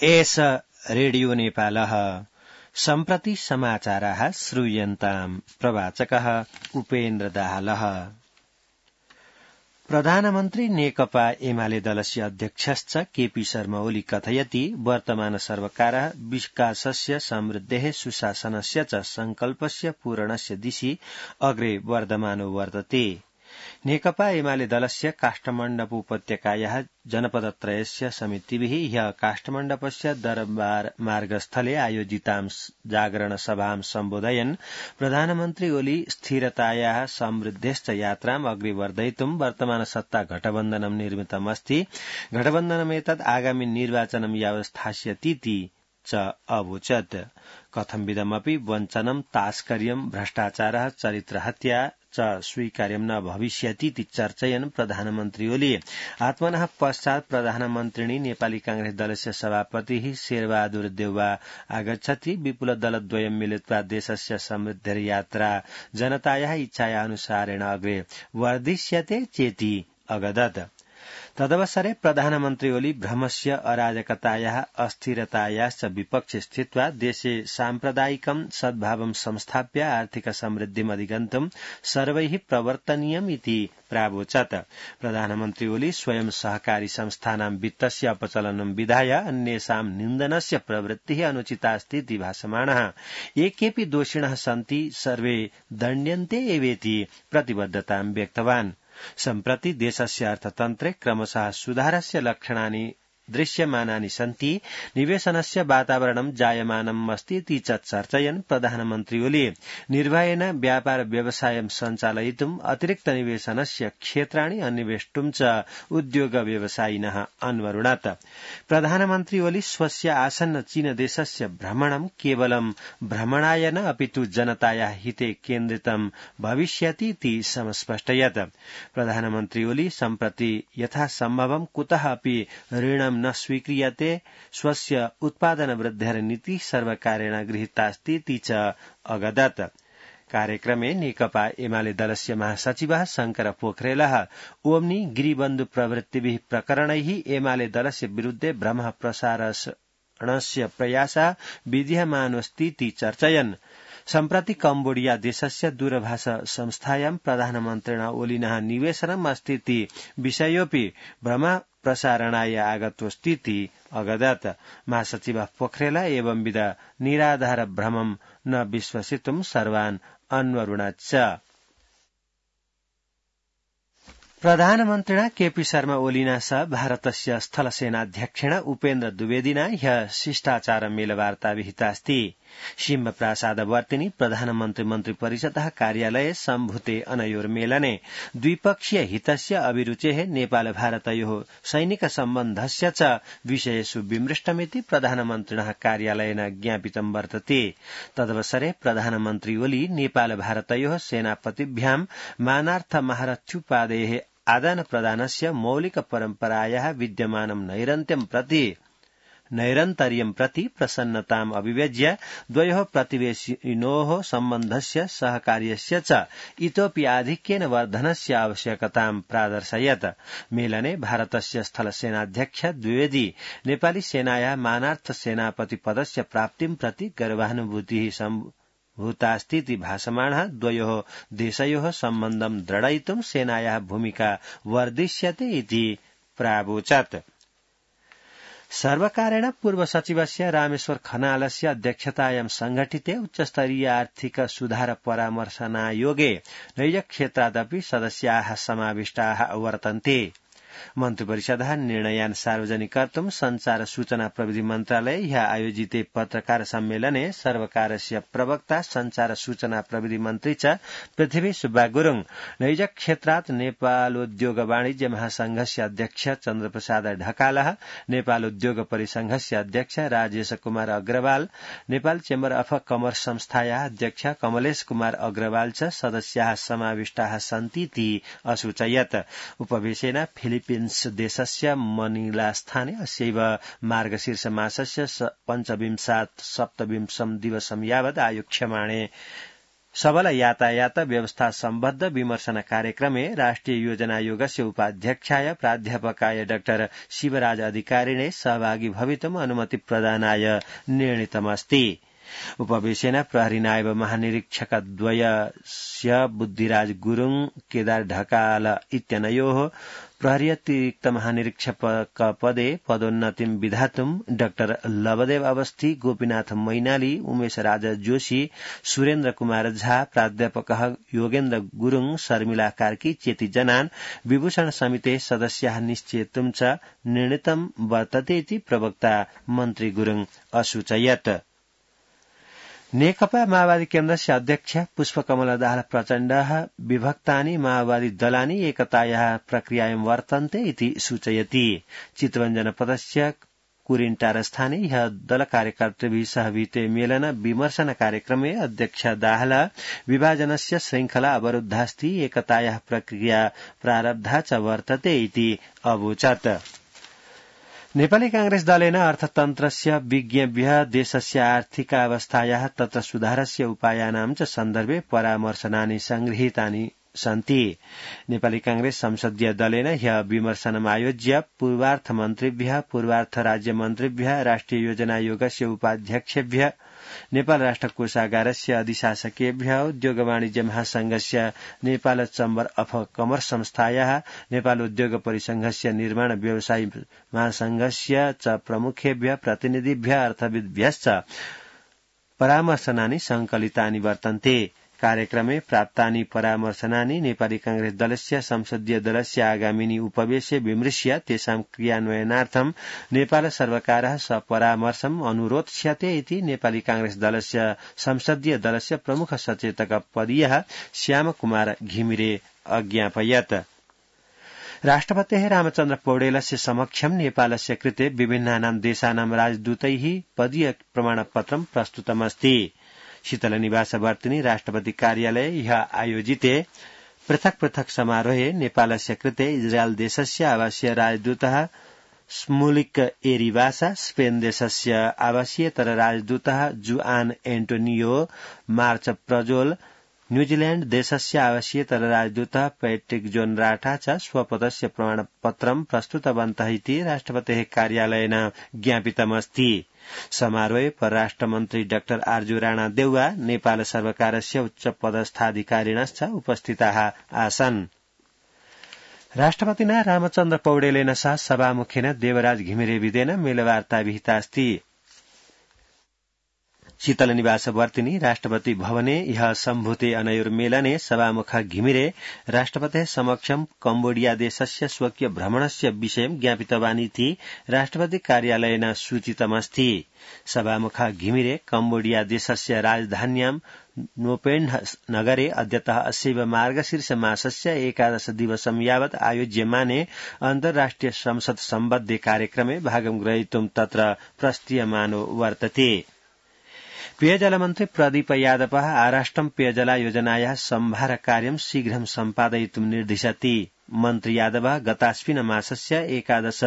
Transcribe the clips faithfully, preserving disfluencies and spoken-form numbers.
एष रेडियो नेपालः सम्प्रति समाचाराः श्रूयन्ताम् प्रवाचकः उपेन्द्र दाहालः। प्रधानमन्त्री नेकपा एमाले दलस्य अध्यक्षश्च केपी शर्मा ओली कथयति वर्तमान सर्वकारः विकासस्य समृद्धेः सुशासनस्य च संकल्पस्य पूरणस्य दिशि अग्रे वर्धमानो वर्तते। नेकपा एमाले दलस्य काष्ठमण्डप उपत्यकायाः जनपदत्रयस्य समितिभिः ह्यः काष्ठमण्डपस्य दरबार मार्गस्थले आयोजितां जागरण सभां सम्बोधयन् प्रधानमन्त्री ओली स्थिरतायाः समृद्धेश्च यात्राम् अग्रे वर्धयितुं वर्तमान सत्ता गठबन्धनं निर्मितमस्ति। गठबन्धनमेतत् आगामि निर्वाचनं यावत् स्थास्यतीति च अवोचत्। कथंविधमपि वञ्चनं तास्कर्यं भ्रष्टाचारः चरित्रहत्या च स्वीकार्यं न भविष्यतीति चर्चयन् प्रधानमन्त्री ओली आत्मनः पश्चात् प्रधानमन्त्रिणी नेपाली कांग्रेस दलस्य सभापतिः शेरबहादुर देउवा आगच्छति। विपुल दलद्वयं मिलित्वा देशस्य समृद्धिर्यात्रा जनतायाः इच्छायाः अनुसारेण अग्रे वर्धिष्यते चेति अगदत्। तदवसरे प्रधानमन्त्री ओली भ्रमस्य अराजकतायाः अस्थिरतायाश्च विपक्षे स्थित्वा देशे साम्प्रदायिकं सद्भावं संस्थाप्य आर्थिक समृद्धिमधिगन्तुं सर्वैः प्रवर्तनीयम् इति प्रावोचत्। प्रधानमन्त्री ओली स्वयं सहकारी संस्थानां वित्तस्य अपचलनं विधाय अन्येषां निन्दनस्य प्रवृत्तिः अनुचितास्ति इति भाषमाणः। ये केऽपि दोषिणः सन्ति सर्वे दण्ड्यन्ते एवेति प्रतिबद्धतां व्यक्तवान्। सम्प्रति देशस्य अर्थतन्त्रे क्रमशः सुधारस्य लक्षणानि दृश्यमानानि सन्ति। निवेशनस्य वातावरणं जायमानम् अस्ति इति च चर्चयन् प्रधानमन्त्री ओली निर्भयेन व्यापार व्यवसायं सञ्चालयितुम् अतिरिक्त निवेशनस्य क्षेत्राणि अन्वेष्टुं च उद्योग व्यवसायिनः अन्वरुणत्। प्रधानमन्त्री ओली स्वस्य आसन्न चीन देशस्य भ्रमणं केवलं भ्रमणाय न अपितु जनतायाः हिते केन्द्रितं भविष्यति इति समस्पष्टयत्। प्रधानमन्त्री ओली सम्प्रति यथासम्भवं कुतः अपि ऋणं न स्वीक्रियते। स्वस्य उत्पादन वृद्धिर नीति सर्वकारेण गृहीतास्ति इति च अगदत्। कार्यक्रमे नेकपा एमाले दलस्य महासचिवः शंकर पोखरेलः ओम्नी गिरिबन्धु प्रवृत्तिभिः प्रकरणैः एमाले दलस्य विरुद्धे भ्रमः प्रसारणस्य प्रयासः विधीयमानोऽस्ति इति चर्चयन्। सम्प्रति कम्बोडिया देशस्य दूरभाष संस्थायां प्रधानमन्त्रिणा ओलिनः निवेशनम् अस्ति इति विषयोऽपि भ्रम प्रसारणाय आगतोऽस्तीति अगदत्। महासचिवः पोखरेल एवंविध निराधार भ्रमं न विश्वसितुं सर्वान् अन्वरुणत्। प्रधानमन्त्रिणा केपी शर्मा ओलिना सह भारतस्य स्थलसेनाध्यक्षेण उपेन्द्र द्विवेदिना ह्यः शिष्टाचार मेलवार्ता विहितास्ति। सिंहप्रासादवर्तिनि प्रधानमन्त्री मन्त्री परिषदः कार्यालये सम्भूते अनयोर्मेलने द्विपक्षीय हितस्य अभिरुचेः नेपाल भारतयोः सैनिक सम्बन्धस्य च विषयेषु विमृष्टमिति प्रधानमन्त्रिणः कार्यालयेन ज्ञापितं वर्तते। तदवसरे प्रधानमन्त्री ओली नेपाल भारतयोः सेनापतिभ्यां मानार्थ महारथ्युपादेः आदान प्रदानस्य मौलिक परम्परायाः विद्यमानं नैरन्त्यं प्रति नैरन्तर्यं प्रति प्रसन्नताम् अभिव्यज्य द्वयोः प्रतिवेशिनोः सम्बन्धस्य सहकार्यस्य च इतोपि आधिक्येन वर्धनस्य आवश्यकतां प्रादर्शयत्। मेलने भारतस्य स्थलसेनाध्यक्ष द्विवेदी नेपाली सेनायाः मानार्थ सेनापति पदस्य प्राप्तिं प्रति गर्वानुभूतिः सम्भूतास्ति इति भाषमाणः द्वयोः देशयोः सम्बन्धं दृढयितुं सेनायाः भूमिका वर्धिष्यते इति प्रावोचत्। सर्वकारेण पूर्व सचिवस्य रामेश्वर खनालस्य अध्यक्षतायां संघटिते उच्चस्तरीय आर्थिक सुधार परामर्शनायोगे नैजक्षेत्रादपि सदस्याः समाविष्टाः वर्तन्ते। मन्त्रिपरिषदः निर्णयान् सार्वजनिक कर्तुं संचार सूचना प्रविधि मन्त्रालये ह्यः आयोजिते पत्रकार सम्मेलने सर्वकारस्य प्रवक्ता संचार सूचना प्रविधि मन्त्री च पृथ्वी सुब्बा गुरुङ, नैजक क्षेत्रात् नेपालोद्योग वाणिज्य महासंघस्य अध्यक्ष चन्द्रप्रसाद ढकालः, नेपाल उद्योग परिसंघस्य अध्यक्ष राजेश कुमार अग्रवाल, नेपाल चेम्बर अफ कमर्स संस्थायाः अध्यक्ष कमलेश कुमार अग्रवाल च सदस्याः समाविष्टाः सन्तीति असूचयत्। उपवेशेन फिलिपिन्स देशस्य मनिलास्थाने अस्यैव मार्गशीर्ष मासस्य पञ्चविंशात् सप्तविंशं दिवसं यावत् आयोक्ष्यमाणे सबल यातायात व्यवस्था सम्बद्ध विमर्शन कार्यक्रमे राष्ट्रिय योजना योगस्य उपाध्यक्षाय प्राध्यापकाय डाक्टर शिवराज अधिकारिणे सहभागी भवितुम् अनुमति प्रदानाय निर्णीतमस्ति। उपवेशेन प्रहरी नायब महानिरीक्षकद्वयस्य बुद्धिराज गुरुङ केदार ढकाल इत्यनयोः प्रहरी अतिरिक्त महानिरीक्षक पदे पदोन्नतिं विधातुम् डाक्टर लवदेव अवस्थी, गोपीनाथ मैनाली, उमेश राज जोशी, सुरेन्द्र कुमार झा, प्राध्यापकः योगेन्द्र गुरुङ, शर्मिला कार्की चेति जनान् विभूषण समिते सदस्याः निश्चेतुं च निर्णीतं वर्तते इति प्रवक्ता मन्त्री गुरुङ असूचयत्। नेकपा माओवादी केन्द्रस्य अध्यक्ष पुष्पकमल दाहाल प्रचण्डः विभक्तानि माओवादी दलानि एकतायाः प्रक्रियायां वर्तन्ते इति सूचयति। चितवन जनपदस्य कुरिन्टारस्थाने ह्यः दल कार्यकर्तृभिः सह विहिते मेलन विमर्शन कार्यक्रमे अध्यक्ष दाहाल विभाजनस्य श्रृंखला अवरुद्धास्ति, एकतायाः प्रक्रिया प्रारब्धा च वर्तते इति अवोचत्। नेपाली कांग्रेस दलेन अर्थतन्त्रस्य विज्ञेभ्यः देशस्य आर्थिकावस्थायाः तत्र सुधारस्य उपायानां च सन्दर्भे परामर्शनानि संगृहीतानि सन्ति। नेपाली कांग्रेस संसदीय दलेन ह्यः विमर्शनमायोज्य पूर्वार्थ मन्त्रिभ्यः, पूर्वार्थ राज्यमन्त्रिभ्यः, राष्ट्रिय योजना आयोगस्य उपाध्यक्षेभ्यः, नेपाल राष्ट्र कोषागारस्य अधिशासकेभ्यः, उद्योग वाणिज्य महासंघस्य नेपाल चम्बर अफ कमर्स संस्थायाः, नेपाल उद्योग परिसंघस्य निर्माण व्यवसायी महासंघस्य च प्रमुखेभ्यः प्रतिनिधिभ्यः अर्थविद्भ्यश्च परामर्शनानि संकलितानि वर्तन्ते। कार्यक्रमे प्राप्तानि परामर्शनानि नेपाली कांग्रेस दलस्य संसदीय दलस्य आगामिनी उपवेशे विमृश्य तेषां क्रियान्वयनार्थं नेपाल सर्वकारः सपरामर्शम् अनुरोध्स्यते इति नेपाली कांग्रेस दलस्य संसदीय दलस्य प्रमुख सचेतक पदीयः श्यामकुमार घिमिरे अज्ञापयत्। राष्ट्रपतेः रामचन्द्र पौडेलस्य समक्षं नेपालस्य कृते विभिन्नानां देशानां राजदूतैः पदीय प्रमाणपत्रं प्रस्तुतमस्ति। शीतल निवासवर्तिनी राष्ट्रपति कार्यालये ह्यः आयोजिते पृथक् पृथक् समारोहे नेपालस्य कृते इजरायल देशस्य आवासीय राजदूतः स्मुलिक एरिवासा, स्पेन देशस्य आवासीयतर राजदूतः जुआन एन्टोनियो मार्च प्रजोल, न्यूजीलैंड देशस्य आवासीयतर राजदूतः पैट्रिक जोन राठा च स्वपदस्य प्रमाणपत्रं प्रस्तुतवन्तः इति राष्ट्रपतेः कार्यालयेन ज्ञापितमस्ति। समारोहे परराष्ट्र मन्त्री डाक्टर आर्जु राणा देउवा, नेपाल सर्वकारस्य उच्च पदस्थाधिकारिणश्च उपस्थिताः आसन्। राष्ट्रपतिना रामचन्द्र पौडेलेन सह सभामुखेन देवराज घिमिरे विदेन मेलवार्ता विहितास्ति। शीतल निवासवर्तिनी राष्ट्रपति भवने ह्यः सम्भूते अनयोर्मेलने सभामुख घिमिरे राष्ट्रपतेः समक्षं कम्बोडिया देशस्य स्वकीय भ्रमणस्य विषयं ज्ञापितवानिति राष्ट्रपति कार्यालयेन सूचितमस्ति। सभामुख घिमिरे कम्बोडिया देशस्य राजधान्यां नोपेन्ह नगरे अद्यतः अस्यैव मार्गशीर्ष मासस्य एकादश दिवसं यावत् आयोज्यमाने अन्तर्राष्ट्रिय संसद सम्बद्धे कार्यक्रमे भागं ग्रहीतुं तत्र प्रस्तीयमानो वर्तते। पेयजल मन्त्री प्रदीप यादवः आराष्ट्रं पेयजला योजनायाः सम्भार कार्यं शीघ्रं सम्पादयितुं निर्दिशति। मन्त्री यादवः गताश्विन मासस्य एकादश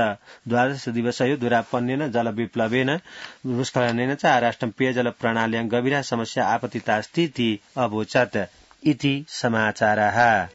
द्वादश दिवसयो दुरापन्नेन जलविप्लवेन भूस्खलनेन च आराष्ट्रं पेयजल प्रणाल्यां गभीरा समस्या आपतितास्ति इति अवोचत्। इति समाचारः।